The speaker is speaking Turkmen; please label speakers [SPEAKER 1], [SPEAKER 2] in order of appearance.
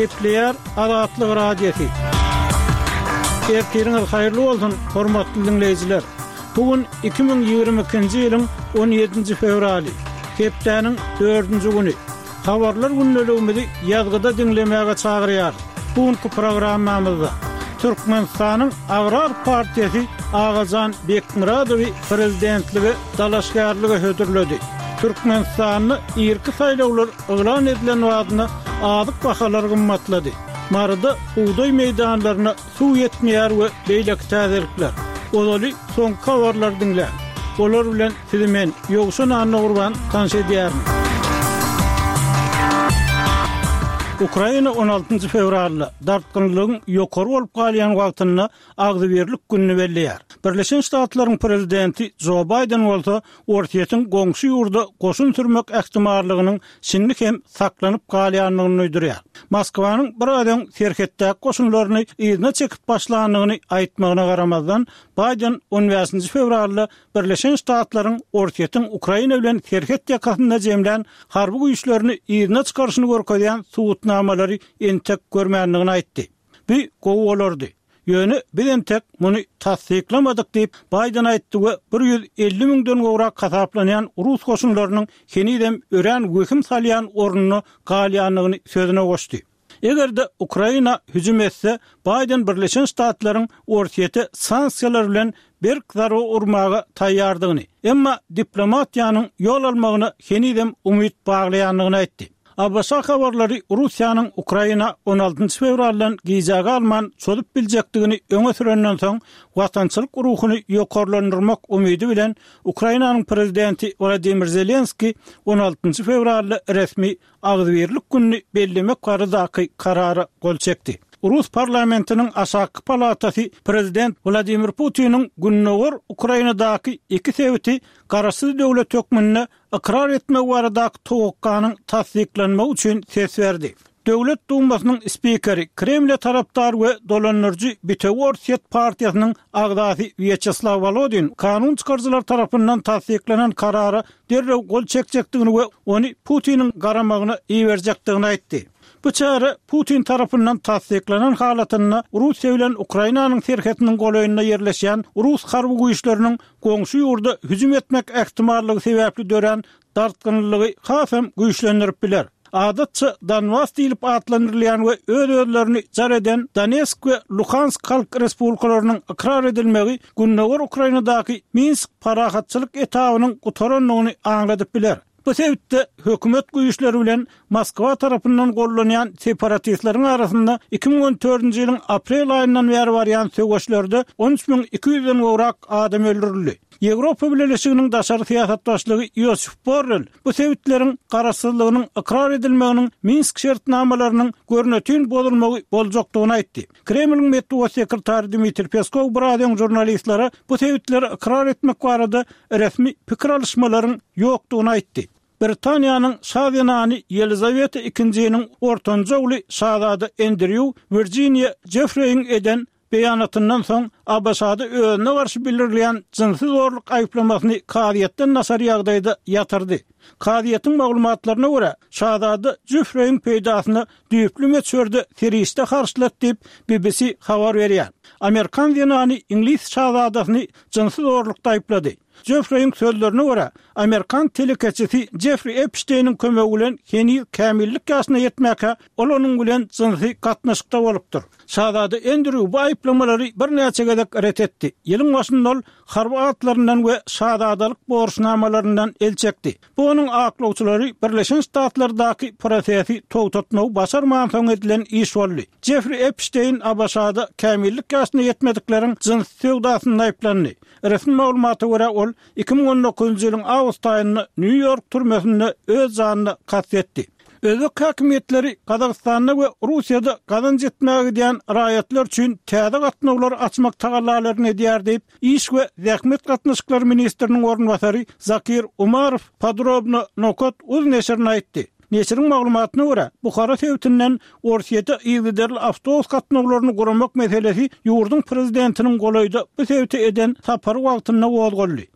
[SPEAKER 1] Gepleýär Azatlyk Radiosy. Ertiriňiz haýyrly bolsun, hormatly diňleýjiler! Bu gün 2022-nji ýylyň 17-nji fewraly, hepdäniň dördünji güni. Habarlar gündeligimizi ýazgyda diňlemäge çagyrýarys. Bu günki programmamyzda Türkmenistanyň Agrar partiýasy Agajan Bekmyradowy prezidentlige dalaşgärlige hödürledi. Türkmenistanda irki saýlawlar yglan edilen badyna azyk bahalary gymmatlady. Maryda bugdaý meýdanlaryna suw ýetmeýär we beýleki täzelikler. Ozaly soňky habarlary diňläň. Olar bilen sizi men, Ýowşan Annagurban tanyş edýärin. Ukraina on altynjy fewralda, dartgynlygyň ýokary bolup galýan wagtynda Agzybirlik gününi belleýär. Birleşen Ştatlaryň prezidenti Jo Baýden bolsa Orsýetiň goňşy ýurda goşun sürmek ähtimallygynyň şindi hem saklanyp galýandygyny duýdurýar. Moskwanyň biraz öň serhetdäki goşunlaryny yzyna çekip başlandygyny aýtmagyna garamazdan, Baýden on bäşinji fewralda Birleşen Ştatlaryň Orsýetiň Ukraina bilen serhet ýakasynda jemlän harby güýçlerini yzyna çykaryşyny görkezýän subutnamalary entek görmändigini aýtdy. Bu gowy bolardy. Ýöne biz entek muny tassyklamadyk diýip, Baýden aýtdy we 150 müňden gowrak hasaplanýan rus goşunlarynyň henizem örän wehim salýan ornunda galýandygyny sözüne goşdy. Eger-de Ukraina hüjüm etse, Baýden Birleşen Ştatlaryň Orsýete sanksiýalar bilen berk zarba urmaga taýýardygyny, emma diplomatiýanyň ýol almagyna henizem umyt baglaýandygyny aýtdy. ABŞ habarlary Russiýanyň Ukraina on altynjy fewraldan gijä galman çozup biljekdigini öňe sürenden soň, watançylyk ruhuny ýokarlandyrmak umydy bilen Ukrainanyň prezidenti Wladimir Zelenskiý on altynjy fewralda resmi Agzybirlik gününi bellemek baradaky karara gol çekdi. Rus parlamentiniň aşakky palatasy prezident Wladimir Putiniň gündogar Ukrainadaky iki sebiti garaşsyz döwlet hökmünde ykrar etmegi baradaky towakganyň tassyklanmagy üçin ses berdi. Döwlet Dumasynyň spikeri, Kremle tarapdar we dolandyryjy Bitewi Orsýet partiýasynyň agzasy Wýaçeslaw Wolodin kanun çykaryjylar tarapyndan tassyklanan karara derrew gol çekjekdigini we ony Putiniň garamagyna iberjekdigini aýtdy. Bu çäre Putin tarapyndan tassyklanan halatynda Russiýa bilen Ukrainanyň serhetiniň golaýynda ýerleşýän rus harby güýçleriniň goňşy ýurda hüjüm etmek ähtimallygy sebäpli dörän dartgynlylygy hasam güýçlendirip biler. Adatça Donbas diýlip atlandyrylýan we öz-özlerini jar eden Donetsk we Luhansk halk respublikalarynyň ykrar edilmegi gündogar Ukrainadaky Minsk parahatçylyk etabynyň gutarandygyny aňladyp biler. Bu sebitde hökümet güýçleri bilen Moskwa tarapyndan gollanýan separatistleriň arasynda 2014-nji ýylyň aprel aýyndan bäri barýan söweşlerde 13 200-den gowrak adam öldürildi. Ýewropa Bileleşiginiň daşary syýasat başlygy Ýosif Borrel bu sebitleriň garaşsyzlygynyň ykrar edilmeginiň Minsk şertnamalarynyň görnetin bozulmagy boljakdygyny aýtdy. Kremliň metbugat sekretary Dmitriý Peskow biraz öň žurnalistlere bu sebitleri ykrar etmek barada resmi pikir alyşmalaryň ýokdugyny aýtdy. Britaniýanyň şa zenany Ýelizaweta II-niň ortanjy ogly şazada Endrýu Wirjiniýa Jeffreýiň eden beýanatyndan soň ABŞ-da özüne garşy bildirilýän jynsy zorluk aýyplamasyny kazyýetden daşary ýagdaýda ýatyrdy. Kazyýetiň maglumatlaryna görä, şazada Jeffreýiň peýdasyna düýpli möçberde serişde harçlady diýip, BBC habar berýär. Amerikan zenany iňlis şazadasyny jynsy zorlukda aýyplady. Jeffreýiň sözlerine görä, amerikan telekeçisi Jeffri Epşteýniň kömegi bilen heniz kämillik ýaşyna ýetmäkä, ol onuň bilen jynsy gatnaşykda bolupdyr. Şazada Endrýu bu aýyplamalary birnäçe gezek ret etdi. Ýylyň başynda ol harby atlaryndan we şazadalyk borçnamalaryndan el çekdi. Bu onuň aklawçylary Birleşen Ştatlardaky prosesi togtatmagy başarmansoň edilen iş boldy. Jeffri Epşteýn ABŞ-da kämillik ýaşyna ýetmedikleriň jynsy söwdasynda aýyplandy. Resmi maglumata görä, ol 2019-njy ýylyň awgust aýynda Nýu-Ýork türmesinde öz janyna kast etdi. Özbek häkimiýetleri Gazagystanda we Russiýada gazanç etmäge gidýän raýatlar üçin täze gatnawlary açmak tagallalaryny edýär diýip, Iş we zähmet gatnaşyklary ministriniň orunbasary Zakir Umarow Podrobno nokat uz neşirine aýtdy. Neşiriň maglumatyna görä, Buhara sebitinden Orsýete yzygiderli awtobus gatnawlaryny guramak meselesi ýurduň prezidentiniň golaýda bu sebite eden sapary wagtynda gozgaldy.